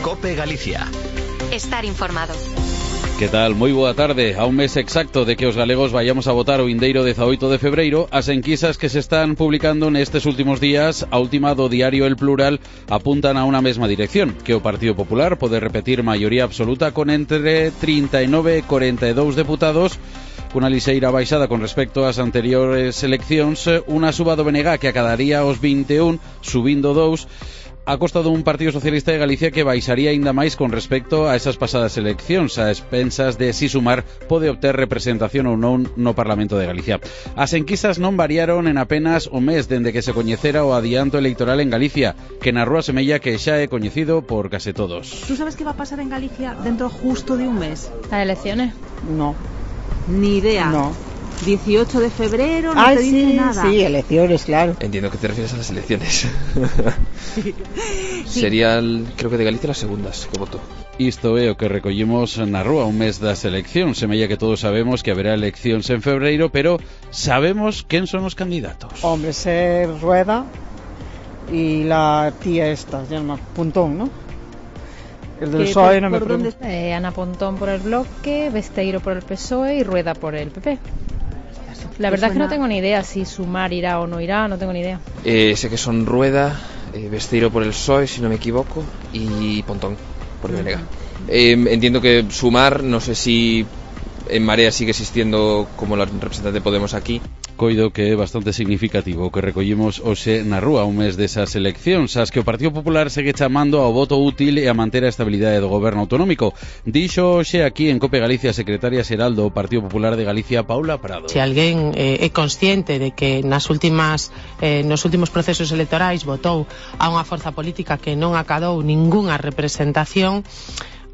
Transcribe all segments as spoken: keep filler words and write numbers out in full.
COPE Galicia. Estar informado. Que tal? Moi boa tarde. A un mes exacto de que os galegos vayamos a votar o vindeiro dezaoito de febreiro, as enquisas que se están publicando nestes últimos días, a última do diario El Plural, apuntan a unha mesma dirección, que o Partido Popular pode repetir maioría absoluta con entre trinta e nove e corenta e dous deputados, cunha lixeira baixada con respecto ás anteriores eleccións, unha suba do B N G que acadaría os vinte e un, subindo dous, a costa dun Partido Socialista de Galicia que baixaría aínda máis con respecto a esas pasadas eleccións, a expensas de si Sumar pode obter representación ou non no Parlamento de Galicia. As enquisas non variaron en apenas un mes dende que se coñecera o adianto electoral en Galicia, que na rúa semella que xa é coñecido por case todos. ¿Tú sabes qué va a pasar en Galicia dentro justo de un mes? ¿Las elecciones? No. Ni idea. No. dieciocho de febrero, no ah, te dice sí, nada. Sí, elecciones, claro. Entiendo que te refieres a las elecciones. Sí. Sería, el, creo que de Galicia, las segundas que votó. Isto é o que recollimos na rúa un mes das eleccións. Semella que todos sabemos que haberá eleccións en febreiro, pero sabemos quen son os candidatos. Hombre, ser Rueda y la tía esta, se llama Pontón, ¿no? El del P S O E, no me pregunto. Eh, Ana Pontón por el Bloque, Besteiro por el P S O E y Rueda por el P P. La verdad es que no tengo ni idea si Sumar irá o no irá, no tengo ni idea. Eh, sé que son Rueda, eh, Besteiro por el P S O E, si no me equivoco, y Pontón por el B N G. Eh, entiendo que Sumar, no sé si en Marea sigue existiendo como la representante de Podemos aquí. Coido que é bastante significativo o que recollimos hoxe na rúa un mes desas eleccións, as que o Partido Popular segue chamando ao voto útil e a manter a estabilidade do goberno autonómico. Dixo hoxe aquí en COPE Galicia a secretaria xeral do Partido Popular de Galicia, Paula Prado. Se alguén eh, é consciente de que nas últimas eh, nos últimos procesos electorais votou a unha forza política que non acadou ningunha representación,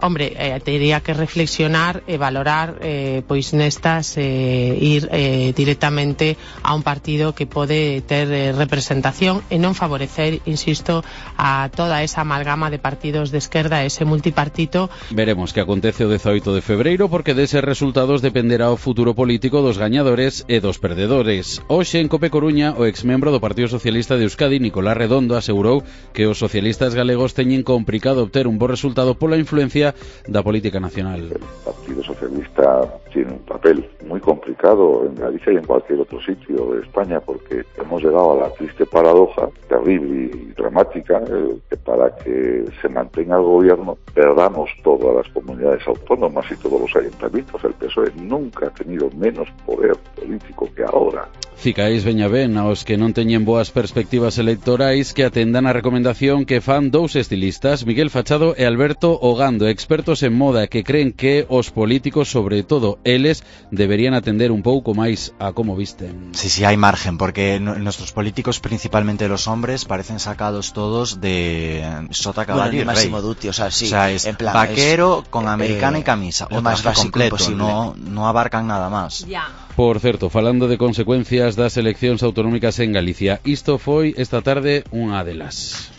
hombre, eh, teria que reflexionar e valorar eh, pois nestas eh, ir eh, directamente a un partido que pode ter eh, representación e non favorecer, insisto, a toda esa amalgama de partidos de esquerda, ese multipartito. Veremos que acontece o dezaoito de febreiro, porque deses resultados dependerá o futuro político dos gañadores e dos perdedores. Hoxe en Cope Coruña, o exmembro do Partido Socialista de Euskadi, Nicolás Redondo, asegurou que os socialistas galegos teñen complicado obter un bo resultado pola influencia da política nacional. El Partido Socialista tiene un papel muy complicado en Galicia y en cualquier otro sitio de España, porque hemos llegado a la triste paradoja, terrible y dramática, eh, que para que se mantenga el gobierno perdamos todas las comunidades autónomas y todos los ayuntamientos. El P S O E nunca ha tenido menos poder político que ahora. Cicáis veña ben aos que non teñen boas perspectivas electorais que atendan a recomendación que fan dous estilistas, Miguel Fachado e Alberto Ogando, expertos en moda, que creen que os políticos, sobre todo eles, deberían atender un pouco máis a como visten. Sí, sí, hay margen, porque no, nuestros políticos, principalmente los hombres, parecen sacados todos de sota, caballo bueno, y rey. Máximo Duty, o sea, sí, o sea, es en plan, vaquero es, con americana eh, y camisa, lo o más traje básico completo, imposible. no, no abarcan nada más. Ya. Por certo, falando de consecuencias das eleccións autonómicas en Galicia, isto foi esta tarde unha delas.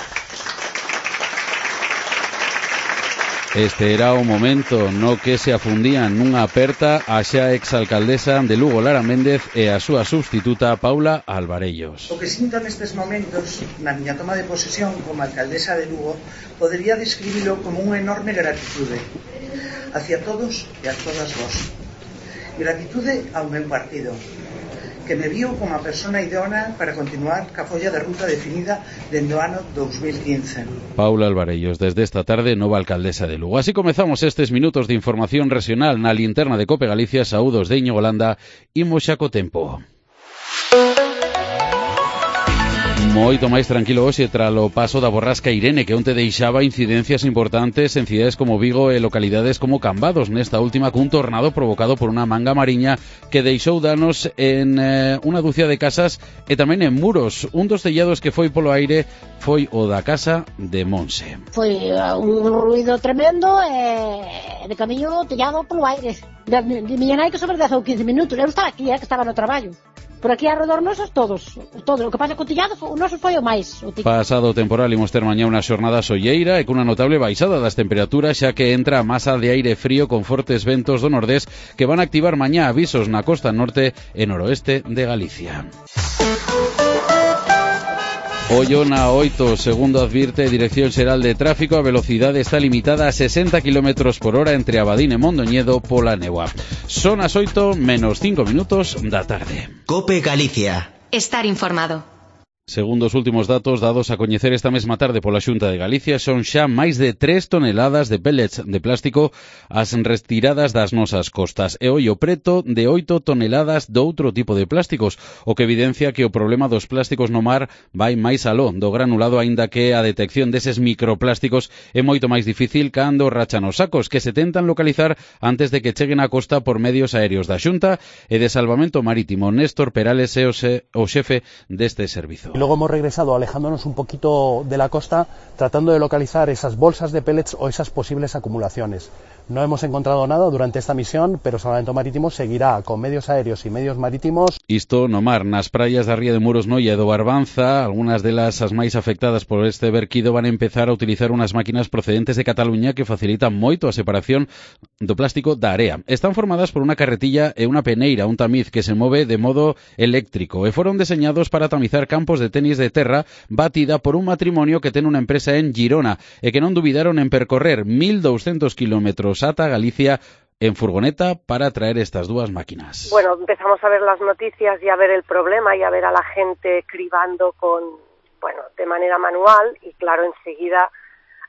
Este era o momento no que se afundían nunha aperta a xa exalcaldesa de Lugo, Lara Méndez, e a súa substituta, Paula Alvarellos. O que sinto nestes momentos, na miña toma de posesión como alcaldesa de Lugo, podería describilo como unha enorme gratitude hacia todos e a todas vos. Gratitude ao meu partido, que me viu como a persona idónea para continuar ca folla de ruta definida dende o ano dos mil quince. Paula Alvarellos, desde esta tarde, nova alcaldesa de Lugo. Así comezamos estes minutos de información regional na linterna de Cope Galicia. Saúdos de Íñigo Landa, imos xa co tempo. Moito máis tranquilo hoxe tralo paso da borrasca Irene, que onte deixaba incidencias importantes en cidades como Vigo e localidades como Cambados, nesta última cun tornado provocado por unha manga mariña que deixou danos en eh, unha dúcia de casas e tamén en muros. Un dos tellados que foi polo aire foi o da casa de Monse. Foi un ruido tremendo e de camiño tellado polo aire. De, de miña nai que sobre dez ou quince minutos. Eu estaba aquí, eh, que estaba no traballo. Por aquí alrededor nosos todos, todo. O que pasa co tellado, o noso foi o máis. O Pasado o temporal imos ter mañá unha xornada solleira e cunha notable baixada das temperaturas, xa que entra a masa de aire frío con fortes ventos do nordés que van a activar mañá avisos na costa norte e noroeste de Galicia. Oyona oito, segundo advirte Dirección Xeral de Tráfico, a velocidade está limitada a sesenta kilómetros por hora entre Abadín e Mondoñedo pola néboa. Son as oito menos cinco minutos da tarde. COPE Galicia. Estar informado. Segundo os últimos datos dados a coñecer esta mesma tarde pola Xunta de Galicia, son xa máis de tres toneladas de pellets de plástico as retiradas das nosas costas e hoy o preto de oito toneladas de outro tipo de plásticos, o que evidencia que o problema dos plásticos no mar vai máis aló do granulado, aínda que a detección deses microplásticos é moito máis difícil cando rachan os sacos, que se tentan localizar antes de que cheguen á costa por medios aéreos da Xunta e de Salvamento Marítimo. Néstor Perales é o xefe deste servizo. Y luego hemos regresado alejándonos un poquito de la costa, tratando de localizar esas bolsas de pellets o esas posibles acumulaciones. No hemos encontrado nada durante esta misión, pero Salvamento Marítimo seguirá con medios aéreos y medios marítimos. Isto no mar, nas praias da ría de Muros Noia e do Barbanza, algunhas delas as máis afectadas por este verquido van a empezar a utilizar unhas máquinas procedentes de Cataluña que facilitan moito a separación do plástico da area. Están formadas por unha carretilla e unha peneira, un tamiz que se move de modo eléctrico e foron deseñados para tamizar campos de tenis de terra batida por un matrimonio que ten unha empresa en Girona e que non dubidaron en percorrer mil douscentos kilómetros ata Galicia en furgoneta para traer estas dúas máquinas. Bueno, empezamos a ver las noticias y a ver el problema y a ver a la gente cribando con, bueno, de manera manual y claro, enseguida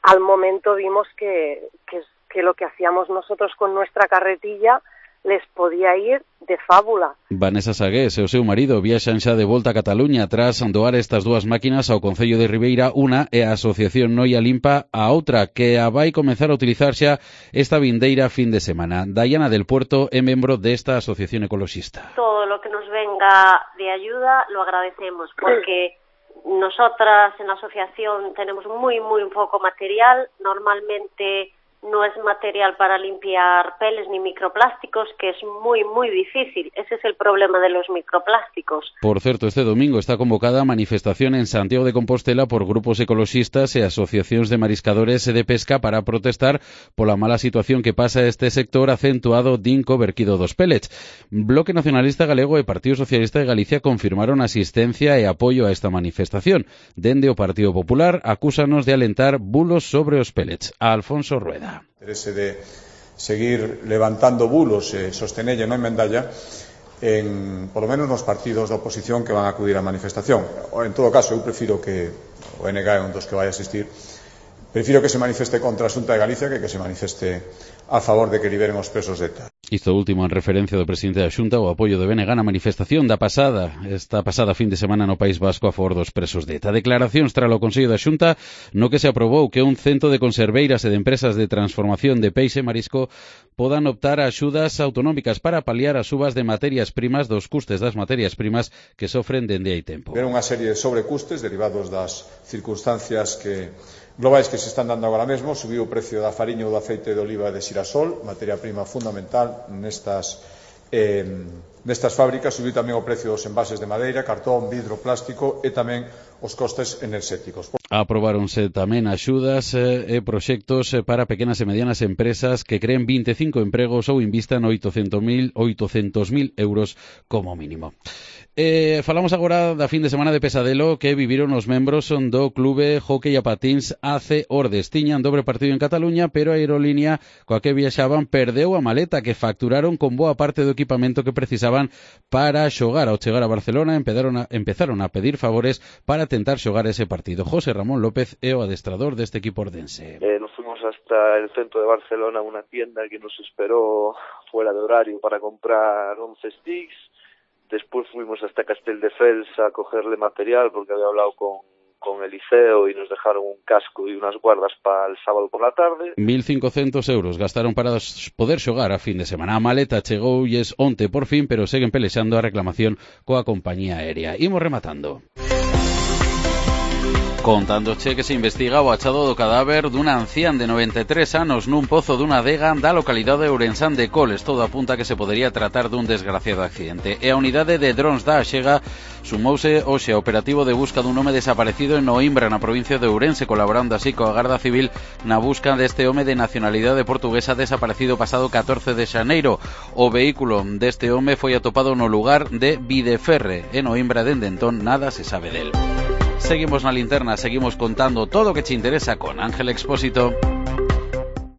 al momento vimos que, que, que lo que hacíamos nosotros con nuestra carretilla les podía ir de fábula. Vanessa Sagués e o seu marido viaxan xa de volta a Cataluña tras doar estas dúas máquinas ao Concello de Ribeira, unha e a Asociación Noia Limpa a outra, que a vai comenzar a utilizar xa esta vindeira fin de semana. Dayana del Puerto é membro desta asociación ecoloxista. Todo lo que nos venga de ayuda lo agradecemos, porque nosotras en la asociación tenemos muy, muy poco material, normalmente no es material para limpiar peles ni microplásticos, que es muy, muy difícil. Ese es el problema de los microplásticos. Por certo, este domingo está convocada a manifestación en Santiago de Compostela por grupos ecoloxistas e asociacións de mariscadores e de pesca para protestar pola mala situación que pasa este sector acentuado din co verquido dos pellets. Bloque Nacionalista Galego e Partido Socialista de Galicia confirmaron asistencia e apoio a esta manifestación. Dende o Partido Popular acúsanos de alentar bulos sobre os pellets. A Alfonso Rueda. Interese de seguir levantando bulos e sostenelle non mendalla en, polo menos nos partidos da oposición que van a acudir á manifestación. En todo caso, eu prefiro que o N G é un dos que vai asistir, prefiro que se manifeste contra a Xunta de Galicia que que se manifeste a favor de que liberen os presos de ETA. Isto último en referencia do presidente da Xunta o apoio de B N G na manifestación da pasada, esta pasada fin de semana no País Vasco a favor dos presos de ETA. Declaracións tras o Consello da Xunta no que se aprobou que un cento de conserveiras e de empresas de transformación de peixe e marisco podan optar a axudas autonómicas para paliar as subas de materias primas dos custes das materias primas que sofren dende hai tempo. Ver unha serie de sobrecustes derivados das circunstancias que globais que se están dando agora mesmo. Subiu o precio da fariña ou do aceite de oliva de xirasol, materia prima fundamental nestas, eh, nestas fábricas. Subiu tamén o precio dos envases de madeira, cartón, vidro, plástico e tamén os costes enerxéticos. Aprobáronse tamén axudas e proxectos para pequenas e medianas empresas que creen vinte e cinco empregos ou invistan oitocentos mil euros como mínimo. Eh, falamos agora da fin de semana de pesadelo que viviron os membros do Clube Hockey a Patins A C Ordes. Tiñan dobre partido en Cataluña, pero a aerolínea coa que viaxaban perdeu a maleta que facturaron con boa parte do equipamento que precisaban para xogar. Ao chegar a Barcelona empezaron a, empezaron a pedir favores para tentar xogar ese partido. José Ramón López é o adestrador deste equipo ordense. Eh, nos fuimos hasta el centro de Barcelona, una tienda que nos esperó fuera de horario para comprar once sticks. Después fuimos hasta Castelldefels a cogerle material porque había hablado con, con el liceo y nos dejaron un casco y unas guardas para el sábado por la tarde. mil cincocentos euros gastaron para poder xogar a fin de semana. A maleta chegoulles onte por fin, pero seguen pelexando a reclamación coa compañía aérea. Imos rematando. Contándoche que se investiga o achado do cadáver dunha ancián de noventa e tres anos nun pozo dunha adega da localidade de Ourensán de Coles. Todo apunta que se podería tratar dun desgraciado accidente. E a unidade de drons da Axega sumouse hoxe ao operativo de busca dun home desaparecido en Oimbra, na provincia de Ourense, colaborando así coa Garda Civil na busca deste home de nacionalidade portuguesa desaparecido pasado catorce de xaneiro. O vehículo deste home foi atopado no lugar de Videferre en Oimbra. Dende entón nada se sabe del. seguimos na linterna, seguimos contando todo o que che interesa con Ángel Expósito.